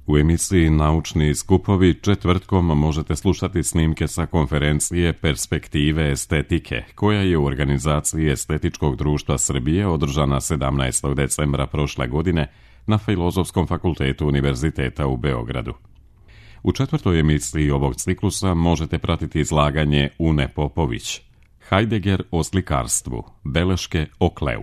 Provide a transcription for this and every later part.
U emisiji Naučni skupovi četvrtkom možete slušati snimke sa konferencije Perspektive estetike, koja je u organizaciji Estetičkog društva Srbije održana 17. decembra prošle godine na Filozofskom fakultetu Univerziteta u Beogradu. U četvrtoj emisiji ovog ciklusa možete pratiti izlaganje Une Popović, Heidegger o slikarstvu, beleške o Kleu.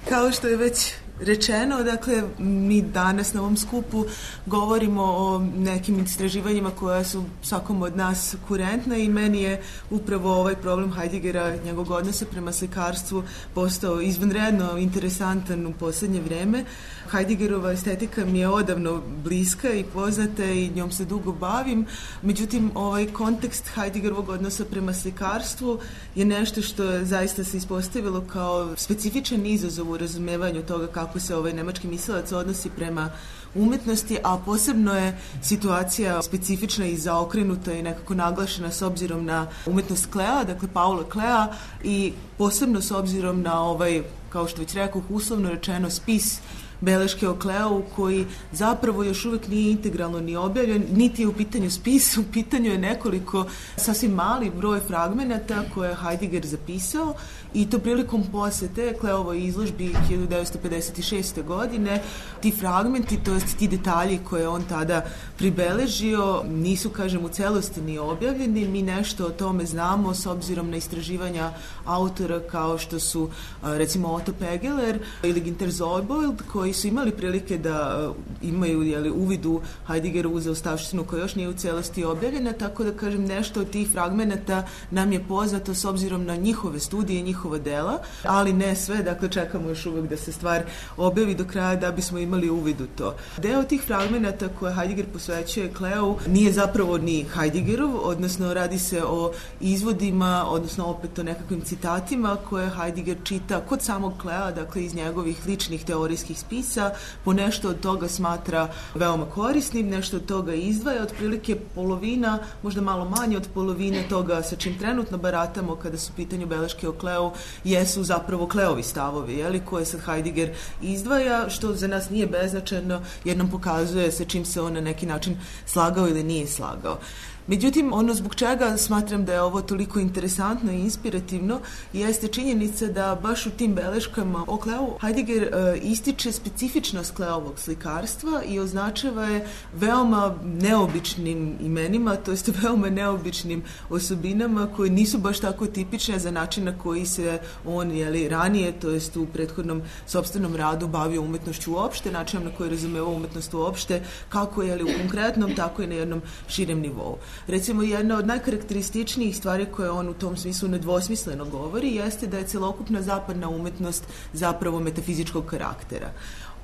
Kao što je već rečeno, dakle, mi danas na ovom skupu govorimo o nekim istraživanjima koja su svakom od nas kurentna i meni je upravo ovaj problem Heideggera, njegovog odnosa prema slikarstvu postao izvanredno interesantan u posljednje vreme. Heideggerova estetika mi je odavno bliska i poznata i njom se dugo bavim, međutim ovaj kontekst Heideggerovog odnosa prema slikarstvu je nešto što je zaista se ispostavilo kao specifičan izazov u razumevanju toga kako se ovaj nemački mislilac odnosi prema umetnosti, a posebno je situacija specifična i zaokrenuta i nekako naglašena s obzirom na umetnost Klea, dakle Paula Klea, i posebno s obzirom na ovaj, kao što već rekao, uslovno rečeno spis beleške o Kleu, koji zapravo još uvijek nije integralno ni objavljen, niti je u pitanju spis, u pitanju je nekoliko sasvim mali broj fragmenata koje je Heidegger zapisao, i to prilikom posete Kleovoj izložbi 1956. godine. Ti fragmenti, to jest ti detalji koje on tada pribeležio, nisu, kažem, u celosti ni objavljeni. Mi nešto o tome znamo s obzirom na istraživanja autora kao što su recimo Otto Pegeler ili Günter Zobold, koji su imali prilike da imaju uvid u Heideggerovu zaostavštinu koja još nije u celosti objavljena, tako da, kažem, nešto od tih fragmenata nam je poznato s obzirom na njihove studije, njihova dela, ali ne sve, dakle čekamo još uvijek da se stvar objavi do kraja da bismo imali uvid u to. Deo tih fragmenata koje Heidegger posvećuje Kleu nije zapravo ni Heideggerov, odnosno radi se o izvodima, odnosno opet o nekakvim citatima koje Heidegger čita kod samog Klea, dakle iz njegovih ličnih teorijskih spisa, po nešto od toga smatra veoma korisnim, nešto od toga izdvaja, otprilike polovina, možda malo manje od polovine toga sa čim trenutno baratamo kada su u pitanju beleške o Kleu, jesu zapravo Kleovi stavovi, koje sad Heidegger izdvaja, što za nas nije beznačajno jer nam pokazuje sa čim se on na neki način slagao ili nije slagao. Međutim, ono zbog čega smatram da je ovo toliko interesantno i inspirativno jeste činjenica da baš u tim beleškama o Kleu Heidegger ističe specifičnost Kleovog slikarstva i označava je veoma neobičnim imenima, to jest veoma neobičnim osobinama koje nisu baš tako tipične za način na koji se on ranije, to jest u prethodnom sopstvenom radu bavio umetnošću uopšte, načinom na koji razumevao umetnost uopšte, kako u konkretnom, tako i na jednom širem nivou. Recimo, jedna od najkarakterističnijih stvari koje on u tom smislu nedvosmisleno govori jeste da je celokupna zapadna umetnost zapravo metafizičkog karaktera.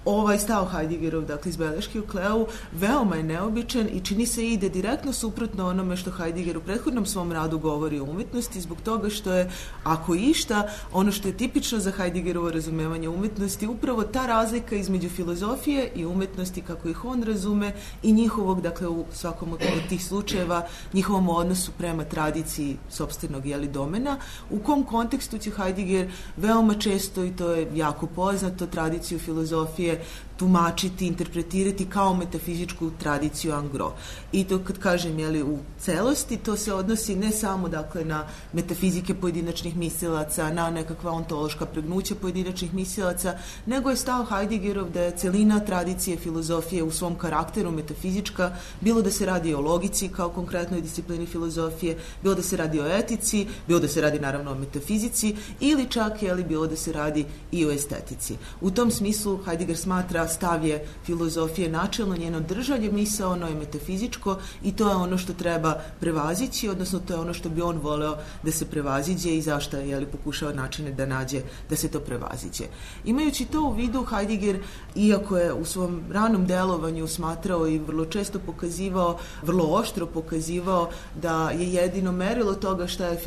Ovaj stav Heideggerov, dakle iz beleške o Kleu, veoma je neobičan i čini se ide direktno suprotno onome što Heidegger u prethodnom svom radu govori o umjetnosti, zbog toga što je, ako išta, ono što je tipično za Heideggerovo razumevanje umjetnosti, upravo ta razlika između filozofije i umjetnosti kako ih on razume i njihovog, dakle u svakom od tih slučajeva, njihovom odnosu prema tradiciji sopstvenog domena, u kom kontekstu će Heidegger veoma često, i to je jako poznato, tradiciju filozofije tumačiti, interpretirati kao metafizičku tradiciju en gros. I to kad kažem u celosti, to se odnosi ne samo dakle na metafizike pojedinačnih mislilaca, na nekakva ontološka pregnuća pojedinačnih mislilaca, nego je stav Heideggerov da je celina tradicije filozofije u svom karakteru metafizička, bilo da se radi o logici kao konkretnoj disciplini filozofije, bilo da se radi o etici, bilo da se radi naravno o metafizici ili čak bilo da se radi i o estetici. U tom smislu Heidegger smatra stav je filozofije načelno, njeno držanje misaono je metafizičko i to je ono što treba prevazići, odnosno to je ono što bi on voleo da se prevaziđe i zašto je pokušao načine da nađe da se to prevaziđe. Imajući to u vidu, Heidegger, iako je u svom ranom delovanju smatrao i vrlo često pokazivao, vrlo oštro pokazivao da je jedino merilo toga šta je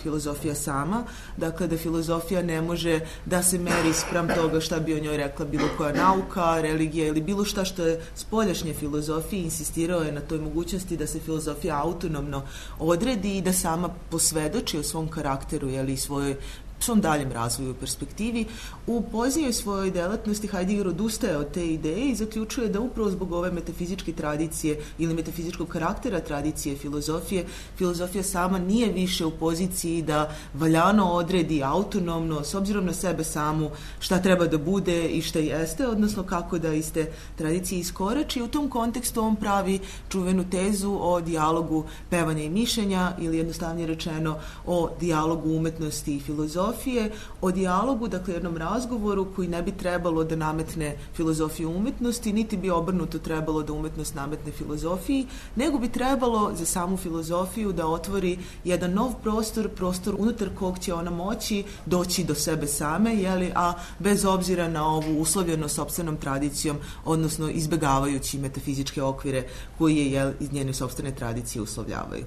filozofija sama, dakle da filozofija ne može da se meri spram toga šta bi o njoj rekla bilo koja nauka, religija ili bilo šta što je spoljašnje filozofije, insistirao je na toj mogućnosti da se filozofija autonomno odredi i da sama posvedoči o svom karakteru i svojoj svom daljem razvoju u perspektivi. U poznijoj svojoj delatnosti Heidegger odustaje od te ideje i zaključuje da upravo zbog ove metafizičke tradicije ili metafizičkog karaktera tradicije filozofija sama nije više u poziciji da valjano odredi autonomno, s obzirom na sebe samu, šta treba da bude i šta jeste, odnosno kako da iz te tradicije iskorači. U tom kontekstu on pravi čuvenu tezu o dijalogu pevanja i mišljenja, ili jednostavnije rečeno o dijalogu umetnosti i filozofije, o dijalogu, dakle jednom razgovoru koji ne bi trebalo da nametne filozofiju umetnosti, niti bi obrnuto trebalo da umetnost nametne filozofiji, nego bi trebalo za samu filozofiju da otvori jedan nov prostor unutar kog će ona moći doći do sebe same, a bez obzira na ovu uslovljenost sopstvenom tradicijom, odnosno izbegavajući metafizičke okvire koji je iz njene sopstvene tradicije uslovljavaju.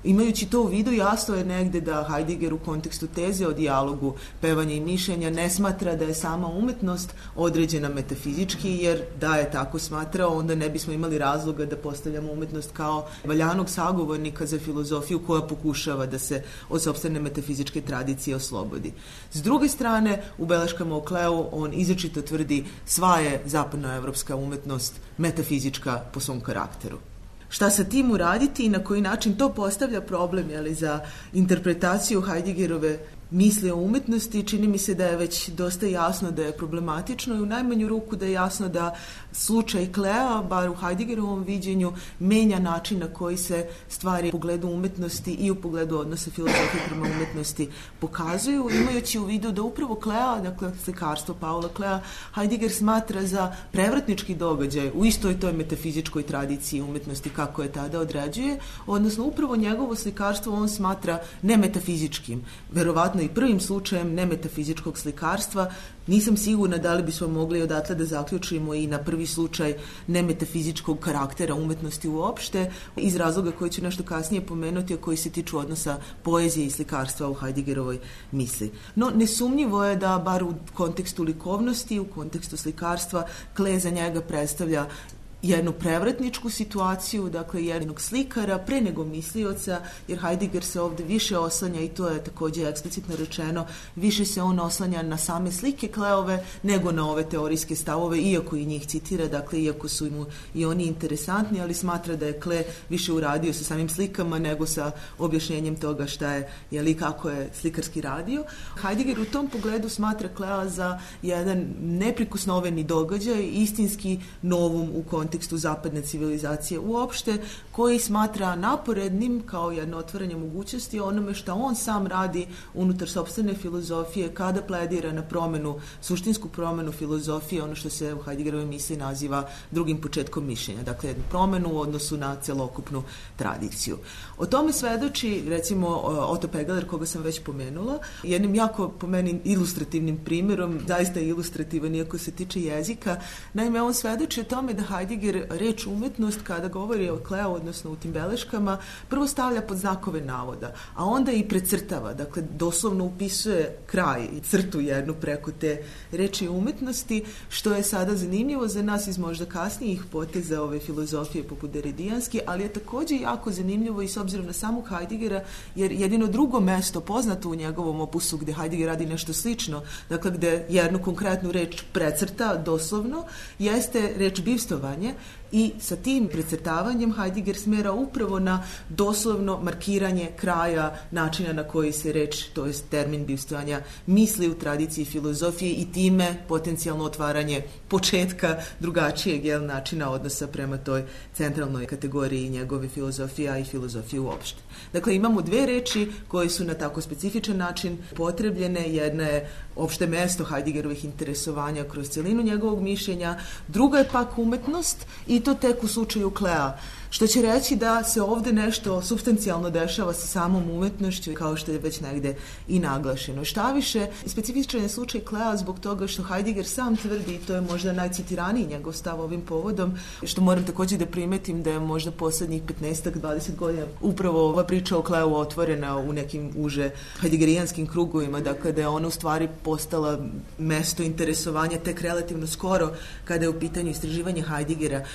Imajući to u vidu, jasno je negde da Heidegger u kontekstu teze o dijalogu pevanja i mišljenja ne smatra da je sama umetnost određena metafizički, jer da je tako smatrao, onda ne bismo imali razloga da postavljamo umetnost kao valjanog sagovornika za filozofiju koja pokušava da se od sopstvene metafizičke tradicije oslobodi. S druge strane, u beleškama o Kleu on izričito tvrdi sva je zapadnoevropska umetnost metafizička po svom karakteru. Šta sa tim uraditi i na koji način to postavlja problem za interpretaciju Heideggerove misli o umetnosti, čini mi se da je već dosta jasno da je problematično i u najmanju ruku da je jasno da slučaj Klea, bar u Heideggerovom viđenju, menja način na koji se stvari u pogledu umetnosti i u pogledu odnosa filozofije prema umetnosti pokazuju, imajući u vidu da upravo Klea, dakle slikarstvo Paula Klea, Heidegger smatra za prevratnički događaj u istoj toj metafizičkoj tradiciji umetnosti kako je tada određuje, odnosno upravo njegovo slikarstvo on smatra nemetafizičkim, verovatno i prvim slučajem nemetafizičkog slikarstva. Nisam sigurna da li bismo mogli odatle da zaključimo i na prvi slučaj nemetafizičkog karaktera umetnosti uopšte, iz razloga koji ću nešto kasnije pomenuti, a koji se tiču odnosa poezije i slikarstva u Heideggerovoj misli. No, nesumnjivo je da, bar u kontekstu likovnosti, u kontekstu slikarstva, Klee za njega predstavlja jednu prevratničku situaciju, dakle jednog slikara pre nego mislioca, jer Heidegger se ovde više oslanja, i to je takođe eksplicitno rečeno, više se on oslanja na same slike Kleove nego na ove teorijske stavove, iako i njih citira, dakle iako su mu i oni interesantni, ali smatra da je Klee više uradio sa samim slikama nego sa objašnjenjem toga šta je, kako je slikarski radio. Heidegger u tom pogledu smatra Klea za jedan neprikosnoveni događaj, istinski novum u kontekstu zapadne civilizacije uopšte, koji smatra naporednim kao jedno otvaranje mogućnosti onome što on sam radi unutar sopstvene filozofije kada pledira na suštinsku promenu filozofije, ono što se u Heideggerovoj misli naziva drugim početkom mišljenja, dakle jednu promenu u odnosu na celokupnu tradiciju. O tome svedoči, recimo, Otto Pegeler, koga sam već pomenula, jednim jako, po meni, ilustrativnim primjerom, zaista ilustrativan iako se tiče jezika. Naime, on svedoči o tome da Heidegger reč umetnost, kada govori o Kleu, odnosno u tim beleškama, prvo stavlja pod znakove navoda, a onda i precrtava, dakle doslovno upisuje kraj i crtu jednu preko te reči umetnosti, što je sada zanimljivo za nas iz možda kasnijih poteza ove filozofije poput Derridijanske, ali je takođe jako zanimljivo i s obzirom na samog Heideggera, jer jedino drugo mesto poznato u njegovom opusu gde Heidegger radi nešto slično, dakle gde jednu konkretnu reč precrta doslovno, jeste reč bivstovanje, i sa tim precrtavanjem Heidegger smera upravo na doslovno markiranje kraja načina na koji se reč, to jest termin bivstvovanja, misli u tradiciji filozofije i time potencijalno otvaranje početka drugačijeg načina odnosa prema toj centralnoj kategoriji njegove filozofije, a i filozofije uopšte. Dakle, imamo dve reči koje su na tako specifičan način potrebljene. Jedna je opšte mesto Heideggerovih interesovanja kroz celinu njegovog mišljenja, druga je pak umetnost, i to tek u slučaju Klea, što će reći da se ovde nešto supstancijalno dešava sa samom umetnošću, kao što je već negde i naglašeno. Šta više, specifičan je slučaj Klea zbog toga što Heidegger sam tvrdi, i to je možda najcitiraniji njegov stav ovim povodom, što moram takođe da primetim da je možda poslednjih 15-20 godina upravo ova priča o Kleu otvorena u nekim uže heideggerijanskim krugovima, dakle da je ona u stvari postala mesto interesovanja tek relativno skoro kada je u pitanju istraživanje Heideggera.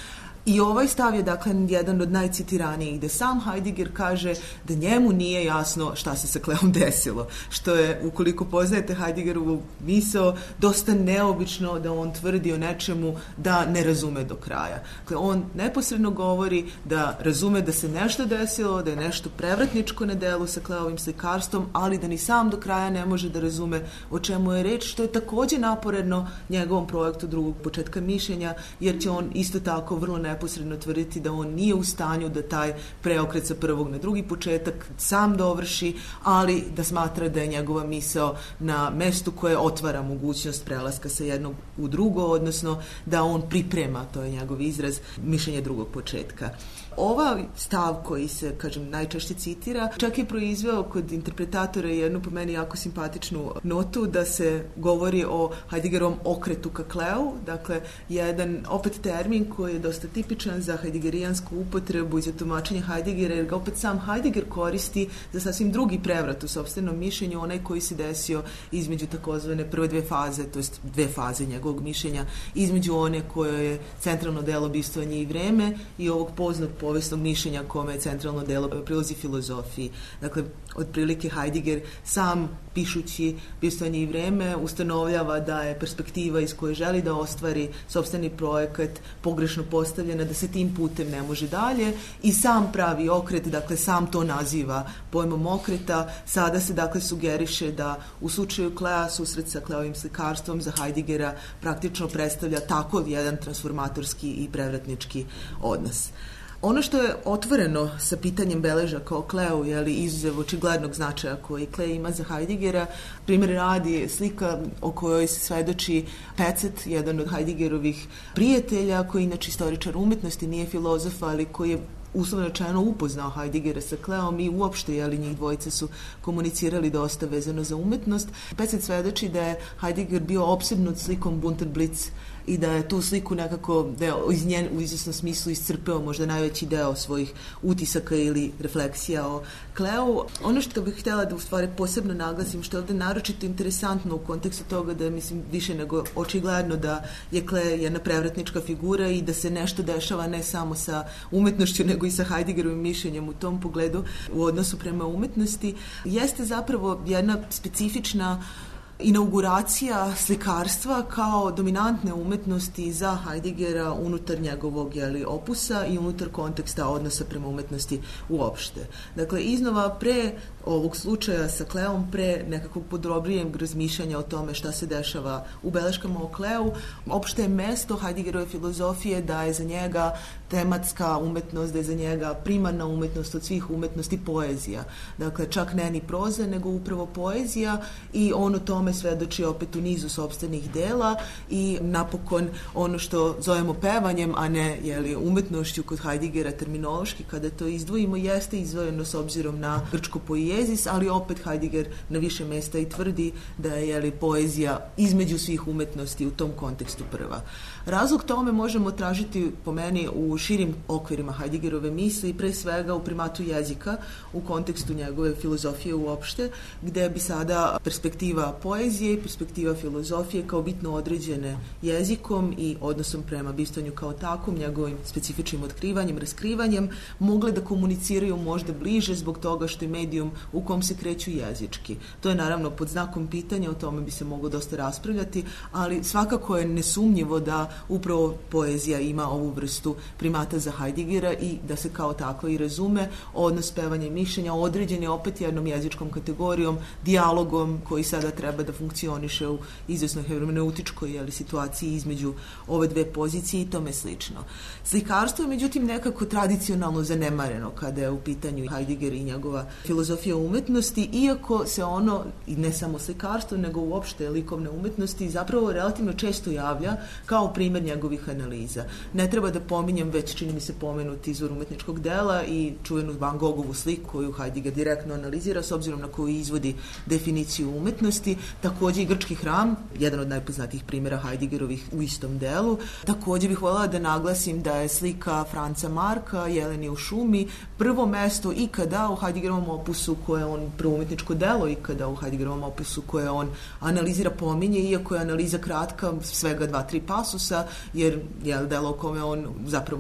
I ovaj stav je dakle jedan od najcitiranijih, gde sam Heidegger kaže da njemu nije jasno šta se sa Kleom desilo, što je, ukoliko poznajete Heideggerovu misao, dosta neobično da on tvrdi o nečemu da ne razume do kraja. Dakle, on neposredno govori da razume da se nešto desilo, da je nešto prevratničko na delu sa Kleovim slikarstvom, ali da ni sam do kraja ne može da razume o čemu je reč, što je takođe naporedno njegovom projektu drugog početka mišljenja, jer će on isto tako vrlo neposredno tvrditi da on nije u stanju da taj preokret sa prvog na drugi početak sam dovrši, ali da smatra da je njegova misao na mestu koje otvara mogućnost prelaska sa jednog u drugo, odnosno da on priprema, to je njegov izraz, mišljenje drugog početka. Ova stav koji se, kažem, najčešće citira, čak je proizveo kod interpretatora jednu po meni jako simpatičnu notu da se govori o Heideggerovom okretu ka Kleu, dakle, jedan opet termin koji je dosta tipičan za heideggerijansku upotrebu i za tumačenje Heideggera, jer ga opet sam Heidegger koristi za sasvim drugi prevrat u sopstvenom mišljenju, onaj koji se desio između takozvane prve dve faze, to jest dve faze njegovog mišljenja, između one koje je centralno delo Bivstvovanje i vreme i ovog poznatog povijesnog mišljenja kome je centralno delo prilazi filozofiji. Dakle, otprilike Heidegger sam, pišući Bivstvovanje i vreme, ustanovljava da je perspektiva iz koje želi da ostvari sopstveni projekat pogrešno postavljena, da se tim putem ne može dalje i sam pravi okret, dakle sam to naziva pojmom okreta. Sada se dakle sugeriše da u slučaju Klea susret sa Kleovim slikarstvom za Heideggera praktično predstavlja tako jedan transformatorski i prevratnički odnos. Ono što je otvoreno sa pitanjem beležaka o Kleu, je li izuzev očiglednog značaja koji Klee ima za Heideggera, primjer radi slika o kojoj se svedoči Pecet, jedan od Heideggerovih prijatelja, koji inače istoričar umetnosti, nije filozof, ali koji je uslovno rečeno upoznao Heideggera sa Kleom i uopšte, jeli, njih dvojice su komunicirali dosta vezano za umetnost. Pecet svedoči da je Heidegger bio opsednut slikom Bunter Blitz i da je tu sliku nekako, da je iz nje u izvesnom smislu iscrpeo možda najveći deo svojih utisaka ili refleksija o Kleu. Ono što bih htjela da u stvari posebno naglasim, što je ovde naročito interesantno u kontekstu toga da je, mislim, više nego očigledno da je Klee jedna prevratnička figura i da se nešto dešava ne samo sa umetnošću, nego i sa Heideggerovim mišljenjem u tom pogledu u odnosu prema umetnosti, jeste zapravo jedna specifična inauguracija slikarstva kao dominantne umetnosti za Heideggera unutar njegovog opusa i unutar konteksta odnosa prema umetnosti uopšte. Dakle, iznova pre ovog slučaja sa Kleom, pre nekakvog podrobnijeg razmišljanja o tome šta se dešava u beleškama o Kleu, opšte je mesto Heideggerove filozofije da je za njega tematska umetnost, da je za njega primarna umetnost od svih umetnosti poezija. Dakle, čak ne ni proza, nego upravo poezija i on o tome svedoči opet u nizu sopstvenih dela i napokon ono što zovemo pevanjem, a ne umetnošću kod Heideggera terminološki, kada to izdvojimo, jeste izdvojeno s obzirom na grčko poiezis, ali opet Heidegger na više mesta i tvrdi da je poezija između svih umetnosti u tom kontekstu prva. Razlog tome možemo tražiti po meni u širim okvirima Heideggerove misli, pre svega u primatu jezika u kontekstu njegove filozofije uopšte, gde bi sada perspektiva poezije i perspektiva filozofije kao bitno određene jezikom i odnosom prema bivstvanju kao takvom, njegovim specifičnim otkrivanjem, raskrivanjem, mogle da komuniciraju možda bliže zbog toga što je medijum u kom se kreću jezički. To je naravno pod znakom pitanja, o tome bi se moglo dosta raspravljati, ali svakako je nesumnjivo da upravo poezija ima ovu vrstu primata za Heideggera i da se kao tako i razume odnos pevanja i mišljenja određen je opet jednom jezičkom kategorijom, dijalogom koji sada treba da funkcioniše u izvesnoj hermeneutičkoj situaciji između ove dve pozicije i tome slično. Slikarstvo je međutim nekako tradicionalno zanemareno kada je u pitanju Heidegger i njegova filozofija umetnosti, iako se ono, i ne samo slikarstvo, nego uopšte likovne umetnosti, zapravo relativno često javlja kao primjer njegovih analiza. Ne treba da pominjem već, čini mi se, pomenuti izvor umetničkog dela i čuvenu Van Gogovu sliku koju Heidegger direktno analizira s obzirom na koju izvodi definiciju umetnosti. također i grčki hram, jedan od najpoznatijih primjera Heideggerovih u istom delu. Također bih voljela da naglasim da je slika Franca Marka, Jeleni u šumi, prvo mesto ikada u Heideggerovom opusu koje on, prvo umjetničko delo ikada u Heideggerovom opusu koje on analizira, pominje, iako je analiza kratka, svega 2-3 pasusa, jer je delo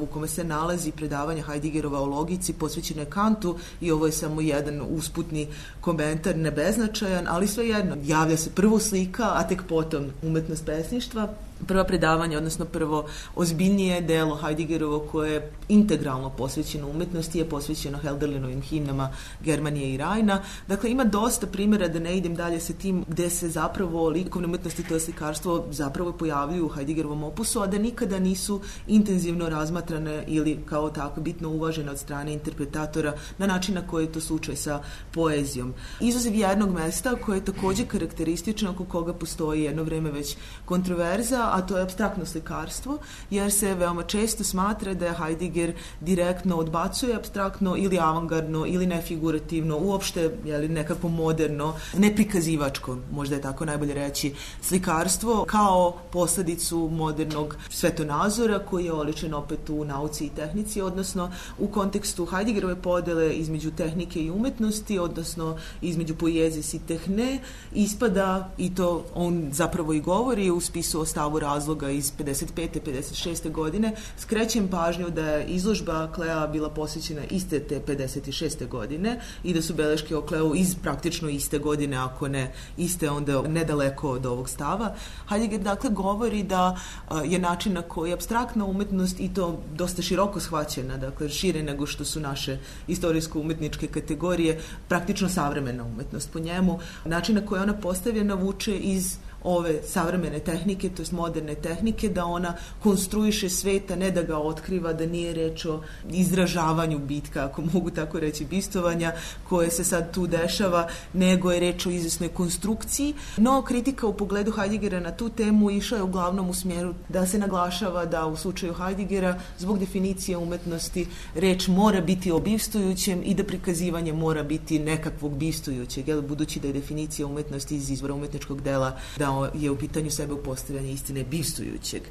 u kome se nalazi predavanje Heideggerova o logici posvećeno je Kantu i ovo je samo jedan usputni komentar, nebeznačajan, ali svejedno, javlja se prvo slika, a tek potom umetnost pesništva. Prva predavanja, odnosno prvo ozbiljnije delo Heideggerovo koje je integralno posvećeno umetnosti je posvećeno Hölderlinovim himnama Germanije i Rajna. Dakle, ima dosta primjera, da ne idem dalje sa tim, gde se zapravo likovne umetnosti, to je slikarstvo, zapravo pojavljuju u Heideggerovom opusu, a da nikada nisu intenzivno razmatrane ili kao tako bitno uvažene od strane interpretatora na način na koji je to slučaj sa poezijom. Izuzev jednog mesta koje je također karakteristično, oko koga postoji jedno vreme već kontroverza, a to je apstraktno slikarstvo, jer se veoma često smatra da je Heidegger direktno odbacuje apstraktno ili avangardno ili nefigurativno, uopšte nekako moderno, neprikazivačko, možda je tako najbolje reći, slikarstvo kao posljedicu modernog svetonazora koji je oličen opet u nauci i tehnici, odnosno u kontekstu Heideggerove podele između tehnike i umetnosti, odnosno između poezis i tehne, ispada, i to on zapravo i govori u spisu o stavu razloga iz 55. 56. godine, skrećem pažnju da je izložba Klea bila posvećena iste te 56. godine i da su beleške o Kleu iz praktično iste godine, ako ne iste, onda nedaleko od ovog stava. Heidegger dakle govori da je način na koji apstraktna umetnost, i to dosta široko shvaćena, dakle šire nego što su naše istorijsko-umetničke kategorije, praktično savremena umetnost po njemu, način na koji ona postavljena vuče iz ove savremene tehnike, to jest moderne tehnike, da ona konstruiše sveta, ne da ga otkriva, da nije reč o izražavanju bitka, ako mogu tako reći, bistovanja koje se sad tu dešava, nego je reč o izvesnoj konstrukciji. No, kritika u pogledu Heideggera na tu temu išla je uglavnom u smjeru da se naglašava da u slučaju Heideggera, zbog definicije umetnosti, reč mora biti o bivstujućem i da prikazivanje mora biti nekakvog bivstujućeg, budući da je definicija umetnosti iz izvora umetničkog dela da je u pitanju sebe upostavljanje istine bivstujućeg.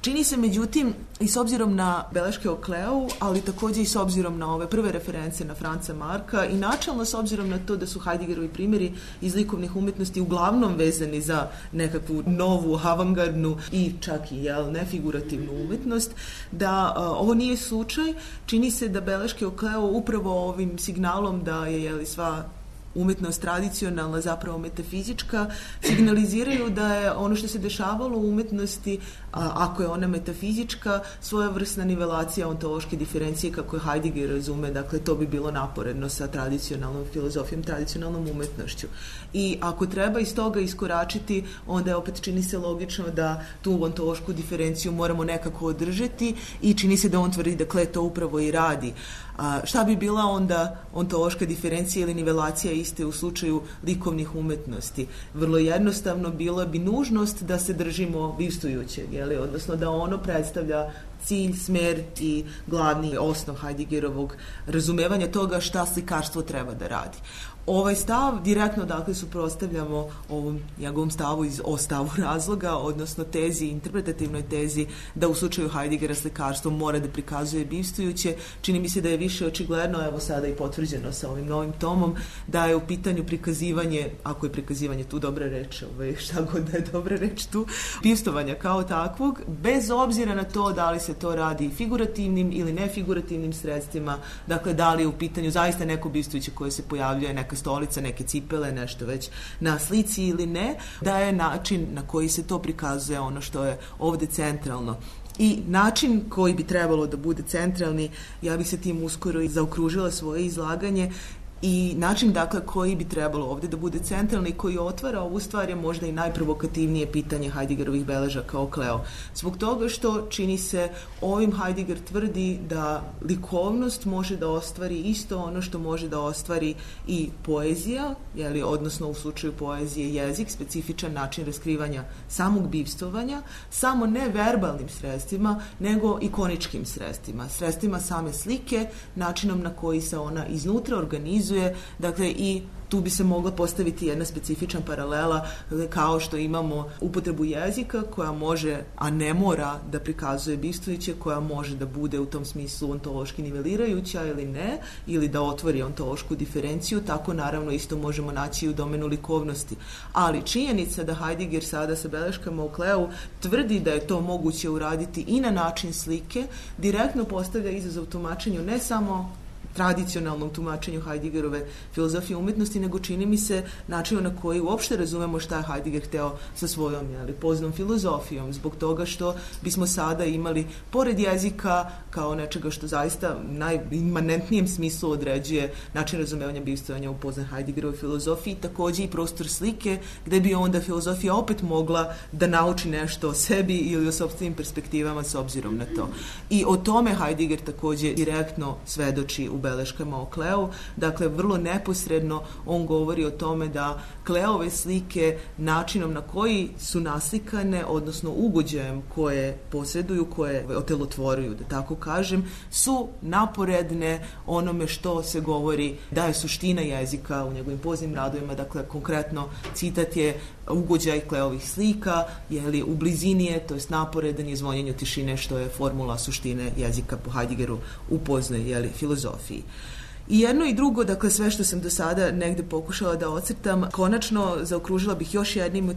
Čini se, međutim, i s obzirom na beleške o Kleu, ali također i s obzirom na ove prve reference na Franca Marka i načelno s obzirom na to da su Heideggerovi primjeri iz likovnih umjetnosti uglavnom vezani za nekakvu novu, avangardnu i čak i nefigurativnu umetnost, da ovo nije slučaj. Čini se da beleške o Kleu upravo ovim signalom da je sva umjetnost tradicionalna, zapravo metafizička, signaliziraju da je ono što se dešavalo u umjetnosti, ako je ona metafizička, svojevrsna nivelacija ontološke diferencije kako je Heidegger razume, dakle to bi bilo naporedno sa tradicionalnom filozofijom, tradicionalnom umjetnošću. I ako treba iz toga iskoračiti, onda je opet čini se logično da tu ontološku diferenciju moramo nekako održati i čini se da on tvrdi da Klee to upravo i radi. Šta bi bila onda ontološka diferencija ili nivelacija iste u slučaju likovnih umetnosti? Vrlo jednostavno, bila bi nužnost da se držimo bivstujućeg, odnosno da ono predstavlja cilj, smer i glavni osnov Heideggerovog razumevanja toga šta slikarstvo treba da radi. Ovaj stav direktno dakle suprotstavljamo ovom njegovom stavu o stavu razloga, odnosno tezi, interpretativnoj tezi da u slučaju Heideggera slikarstvo mora da prikazuje bivstujuće. Čini mi se da je više očigledno, evo sada i potvrđeno sa ovim novim tomom, da je u pitanju prikazivanje, ako je prikazivanje tu dobra reč, šta god da je dobra reč tu, bivstovanja kao takvog, bez obzira na to da li se to radi figurativnim ili nefigurativnim sredstvima, dakle da li je u pitanju zaista neko bivstujuće koje se pojavljuje, neka stolica, neke cipele, nešto već na slici ili ne, da je način na koji se to prikazuje ono što je ovdje centralno. I način koji bi trebalo da bude centralni, ja bih se tim uskoro i zaokružila svoje izlaganje, i način dakle koji bi trebalo ovdje da bude centralni, koji otvara ovu stvar, je možda i najprovokativnije pitanje Heideggerovih beležaka o Kleo. Zbog toga što čini se ovim Heidegger tvrdi da likovnost može da ostvari isto ono što može da ostvari i poezija, odnosno u slučaju poezije jezik, specifičan način raskrivanja samog bivstovanja, samo ne verbalnim sredstvima, nego ikoničkim sredstvima, sredstvima same slike, načinom na koji se ona iznutra organizuje organizuje, dakle i tu bi se mogla postaviti jedna specifična paralela, kao što imamo upotrebu jezika koja može, a ne mora da prikazuje bistvoiće, koja može da bude u tom smislu ontološki nivelirajuća ili ne, ili da otvori ontološku diferenciju, tako naravno isto možemo naći u domenu likovnosti. Ali činjenica da Heidegger sada sa beleškama u Kleu tvrdi da je to moguće uraditi i na način slike, direktno postavlja izazov tumačenju ne samo tradicionalnom tumačenju Heideggerove filozofije umjetnosti, nego čini mi se načinu na koji uopšte razumemo šta je Heidegger hteo sa svojom poznom filozofijom, zbog toga što bismo sada imali, pored jezika kao nečega što zaista najimanentnijem smislu određuje način razumevanja bivstvovanja u poznoj Heideggerovoj filozofiji, takođe i prostor slike, gde bi onda filozofija opet mogla da nauči nešto o sebi ili o sopstvenim perspektivama s obzirom na to. I o tome Heidegger takođe direktno svedoči u beleškama o Kleu. Dakle, vrlo neposredno on govori o tome da Kleove slike načinom na koji su naslikane, odnosno ugođajem koje posjeduju, koje otelotvoruju, da tako kažem, su naporedne onome što se govori da je suština jezika u njegovim poznim radovima. Dakle, konkretno citat je ugođaj Kleovih slika, jeli u blizini je, to jest naporedan je zvonjenju tišine, što je formula suštine jezika po Heideggeru u poznoj filozofiji. I jedno i drugo, dakle sve što sam do sada negde pokušala da ocrtam, konačno zaokružila bih još jednim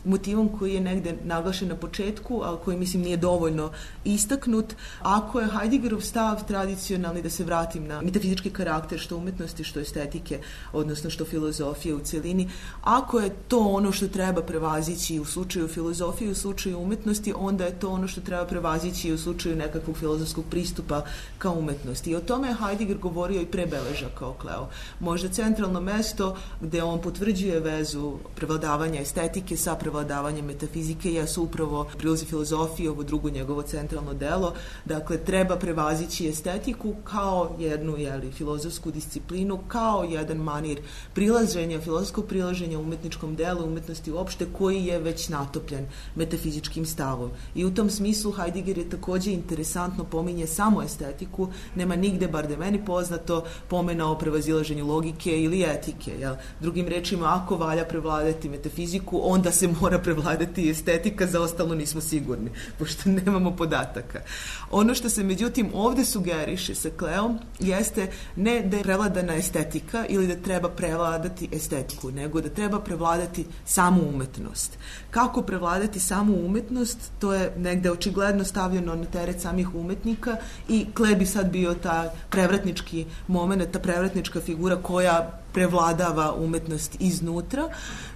motivom koji je negde naglašen na početku, ali koji mislim nije dovoljno istaknut. Ako je Heideggerov stav tradicionalni, da se vratim na metafizički karakter što umetnosti, što estetike, odnosno što filozofije u celini, ako je to ono što treba prevazići u slučaju filozofije, u slučaju umetnosti, onda je to ono što treba prevazići u slučaju nekakvog filozofskog pristupa ka umetnosti. I o tome je Heidegger govorio i pre Beležaka o Kleu. Možda centralno mesto gde on potvrđuje vezu prevladavanja estetike sa prevladavanjem metafizike jesu upravo prilozi filozofije, ovo drugo njegovo centralno delo. Dakle, treba prevazići estetiku kao jednu filozofsku disciplinu, kao jedan manir prilaženja, filozofskog prilaženja umetničkom delu, umetnosti uopšte, koji je već natopljen metafizičkim stavom. I u tom smislu Heidegger je takođe interesantno pominje samo estetiku, nema nigde, bar da meni poznato, pomena o prevazilaženju logike ili etike. Jel? Drugim rečima, ako valja prevladati metafiziku, onda se mora prevladati estetika, za ostalo nismo sigurni, pošto nemamo podataka. Ono što se međutim ovde sugeriše sa Kleom jeste ne da je prevladana estetika ili da treba prevladati estetiku, nego da treba prevladati samu umetnost. Kako prevladati samu umetnost, to je negde očigledno stavljeno na teret samih umetnika i Kle bi sad bio ta prevratnički moment, ta prevratnička figura koja prevladava umetnost iznutra.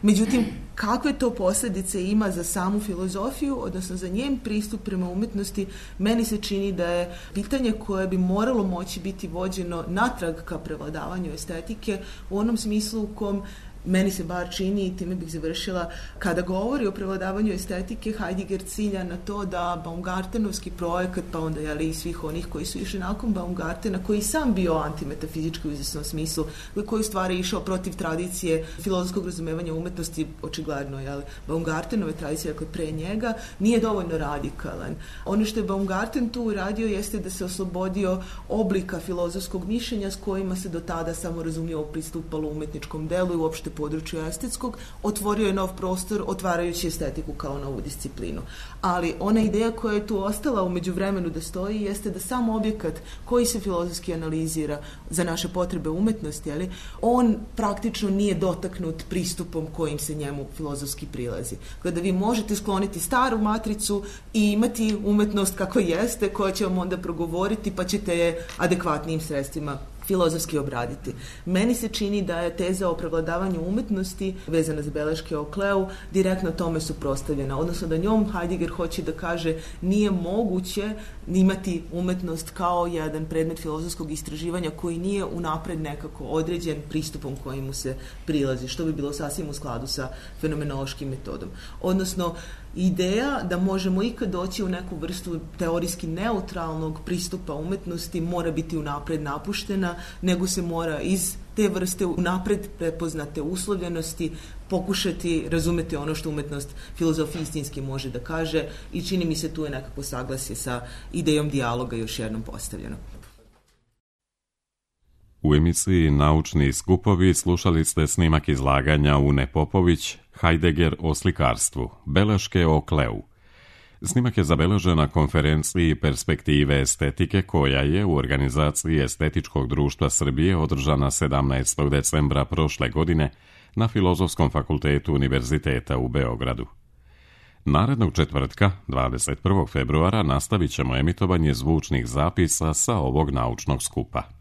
Međutim, kakve to posljedice ima za samu filozofiju, odnosno za njen pristup prema umetnosti, meni se čini da je pitanje koje bi moralo moći biti vođeno natrag ka prevladavanju estetike u onom smislu u kom meni se bar čini, i time bih završila, kada govori o prevladavanju estetike, Heidegger cilja na to da Baumgartenovski projekat, pa onda i svih onih koji su išli nakon Baumgartena, koji sam bio antimetafizički u izvesnom smislu, koji u stvari išao protiv tradicije filozofskog razumevanja umetnosti, očigledno, Baumgartenove tradicije, dakle pre njega, nije dovoljno radikalan. Ono što je Baumgarten tu uradio jeste da se oslobodio oblika filozofskog mišljenja s kojima se do tada samo razumljivo pristupalo umetničkom delu i uopšte području estetskog, otvorio je nov prostor otvarajući estetiku kao novu disciplinu. Ali ona ideja koja je tu ostala u međuvremenu da stoji jeste da sam objekat koji se filozofski analizira za naše potrebe umetnosti, on praktično nije dotaknut pristupom kojim se njemu filozofski prilazi. Kada vi možete skloniti staru matricu i imati umetnost kako jeste, koja će vam onda progovoriti, pa ćete je adekvatnijim sredstvima filozofski obraditi. Meni se čini da je teza o prevladavanju umetnosti vezana za beleške o Kleu direktno tome suprotstavljena, odnosno da njom Heidegger hoće da kaže nije moguće imati umetnost kao jedan predmet filozofskog istraživanja koji nije unapred nekako određen pristupom kojim mu se prilazi, što bi bilo sasvim u skladu sa fenomenološkim metodom. Odnosno, ideja da možemo ikad doći u neku vrstu teorijski neutralnog pristupa umetnosti mora biti unapred napuštena, nego se mora iz te vrste unapred prepoznate uslovljenosti pokušati razumeti ono što umetnost filozofija istinski može da kaže i čini mi se tu je nekako saglasje sa idejom dijaloga još jednom postavljeno. U emisiji Naučni skupovi slušali ste snimak izlaganja Une Popović, Heidegger o slikarstvu, beleške o Kleu. Snimak je zabeležen na konferenciji Perspektive estetike koja je u organizaciji Estetičkog društva Srbije održana 17. decembra prošle godine na Filozofskom fakultetu Univerziteta u Beogradu. Narednog četvrtka, 21. februara, nastavit ćemo emitovanje zvučnih zapisa sa ovog naučnog skupa.